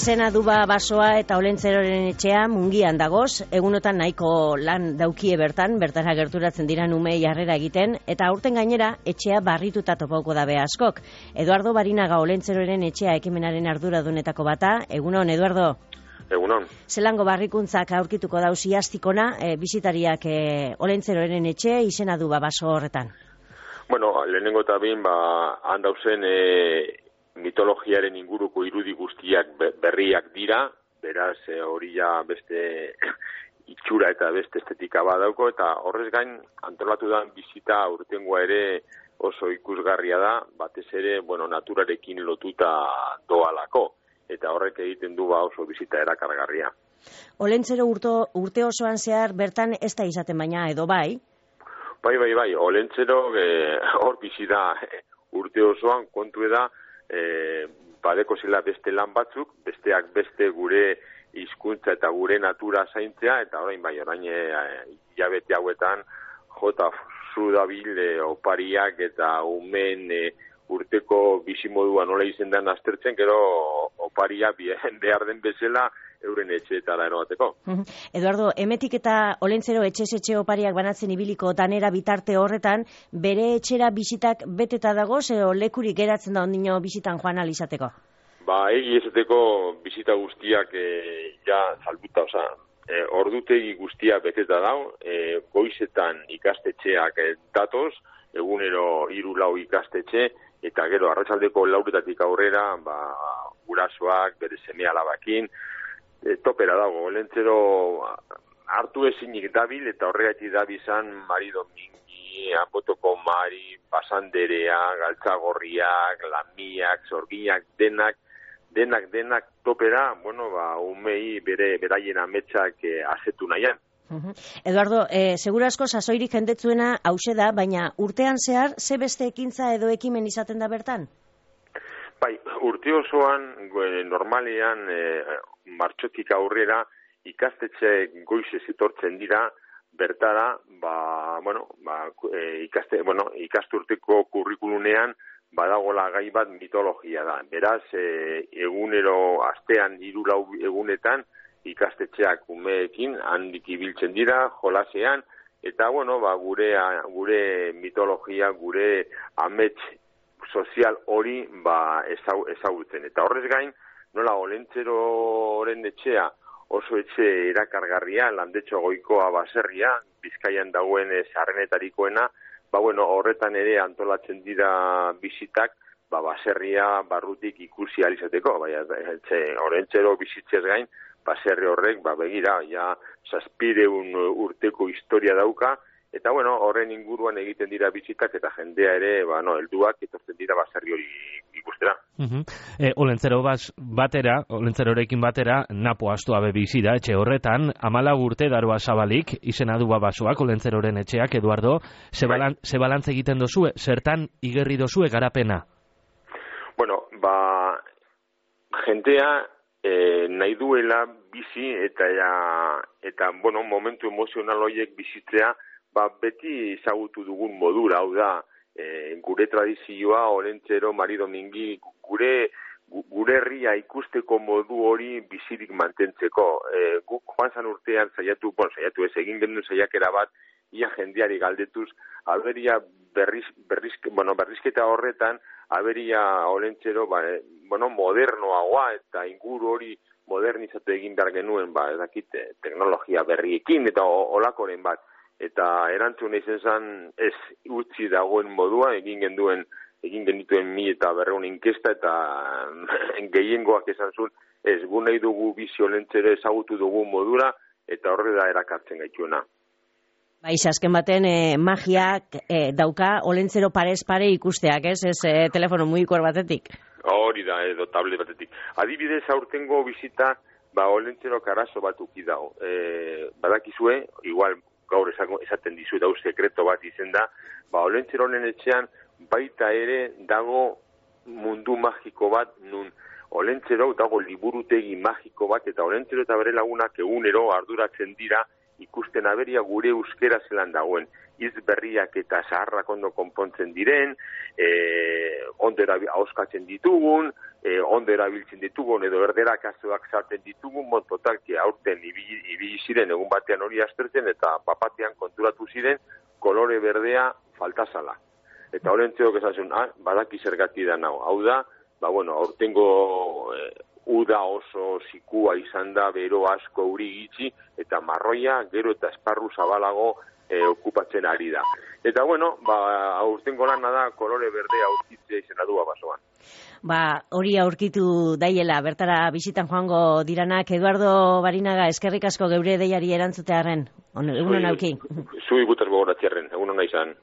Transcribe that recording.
Izena Duba basoa eta Olentzeroren etxea Mungian dagoz, egunotan nahiko lan daukie bertara gerturatzen dira umei jarrera egiten, eta aurten gainera etxea barrituta topauko dabe askok. Eduardo Barinaga Olentzeroren etxea ekimenaren arduradunetako bata. Egunon, Eduardo? Egunon. Zelango barrikuntzak aurkituko dauz iaztikona bisitariak Olentzeroren etxe Izena Duba baso horretan? Bueno, lehenengo eta behin, handauzen mitologiaren inguruko irudi guztiak berriak dira, beraz hori ja beste itxura eta beste estetika badauko, eta horrez gain antolatu da bizita aurtengoa ere oso ikusgarria da, batez ere, naturarekin lotuta doalako, eta horrek egiten du oso bizita erakargarria. Olentzero urte osoan zehar bertan ez da izaten baina, edo bai? Bai, Olentzero hor bizi da urte osoan, kontu da, badeko zela beste lan batzuk, besteak beste gure hizkuntza eta gure natura zaintzea, eta orain hilabete hauetan jota zu dabil opariak eta umen urteko bizimodua nola izendan aztertzen, gero oparia behar den bezala euren etxeetara erogateko. Eduardo, emetik eta Olentzero etxe opariak banatzen ibiliko danera bitarte horretan, bere etxera bisitak beteta dagoz, edo lekurik geratzen da ondino bisitan joan alizateko? Egi esateko bisita guztiak salbuta, ordutegi guztiak beteta dago, goizetan ikastetxeak datoz, egunero 3-4 ikastetxe, eta gero arratsaldeko 4 aurrera, gurasoak, bere seme alabakin, topera dago, Olentzero hartu ezinik dabil, eta horregatik dabizan Mari Domingi, Anbotoko Mari, Pasanderea, Galtzagorriak, Lamiak, Zorginak, denak topera, umei beraien ametsak azetu nahian. Eduardo, segura asko sasoirik jendetzuena hause da, baina urtean zehar, ze beste ekintza edo ekimen izaten da bertan? Bai, urte osoan, normalean, martxotik aurrera, ikastetxe goizez etortzen dira, bertara, ikasturteko kurrikulunean, badagola gai bat mitologia da. Beraz, egunero astean 3-4 egunetan, ikastetxeak umeekin handik ibiltzen dira, jolasean, eta, gure mitologia, gure amets sozial hori ezagutzen. Eta horrez gain, nola Olentzeroren etxea oso etxe erakargarria, Landetxo Goikoa baserria, Bizkaian dagoen sarrenetarikoena, horretan ere antolatzen dira bisitak, baserria barrutik ikusi alizateko, Olentzero bizitzez gain, baserri horrek, begira, 700 urteko historia dauka, eta horren inguruan egiten dira bisitak, eta jendea ere, helduak etortzen dira baserri hori ikustera. Olentzerorekin batera, napo astu abe bizi da, etxe horretan, 14 urte daroa zabalik, Izena Duba basoak, Olentzeroren etxeak, Eduardo, ze balantz egiten dozue, zertan igerri dozue garapena? Jendea nahi duela bizi eta momentu emozional horiek bizitzea, beti ezagutu dugun modura, hau da, gure tradizioa, Olentzero, Mari Domingi, gure herria ikusteko modu hori bizirik mantentzeko. Guk joan zan urtean saiatu ez, egin genuen saiakera bat, ia jendeari galdetuz, aberia berrizketa horretan, aberia Olentzero, modernoagoa eta inguru hori modernizatu egin behar genuen, teknologia berriekin eta olakoren bat. Eta erantzun izan zen ez utzi dagoen modua, egin genituen 1.500 inkesta, eta gehiengoak esan zuen, ez gu nahi dugu bizi Olentzero ezagutu dugu modura, eta horre da erakartzen gaituena. Azken baten magiak dauka Olentzero parez pare ikusteak, ez telefono mugikor batetik? Hori da, edo tablet batetik. Adibidez aurtengo bizita, Olentzero karazo bat uki dago. Badakizue, igual gaur esaten dizu dauz sekreto bat izen da, Olentzeroren etxean baita ere dago mundu magiko bat, nun Olentzero dago liburutegi magiko bat, eta Olentzero eta bere lagunak egunero arduratzen dira ikusten aberia gure euskera zelan dagoen. Hitz berriak eta zaharrak ondo konpontzen diren, ondera ahoskatzen ditugun, ondo erabiltzen ditugun, edo erderak azoak sartzen ditugun, totalki aurten ibili ziren egun batean hori aztertzen, eta bapatean konturatu ziren kolore berdea faltazala. Eta horrentzeok esan zuen, badaki zergati da nago. Hau da, aurtengo uda oso zikua izan da, bero asko uri gitxi, eta marroia gero eta esparru zabalago okupatzen ari da. Eta aurtengo lana da kolore berdea aurkitzea izena du basoan. Hori aurkitu daiela, bertara bisitan joango diranak. Eduardo Barinaga, eskerrik asko geure deiari erantzutearen. Egunon auki. Zui gutaz gogoratziarren, egunon naizan.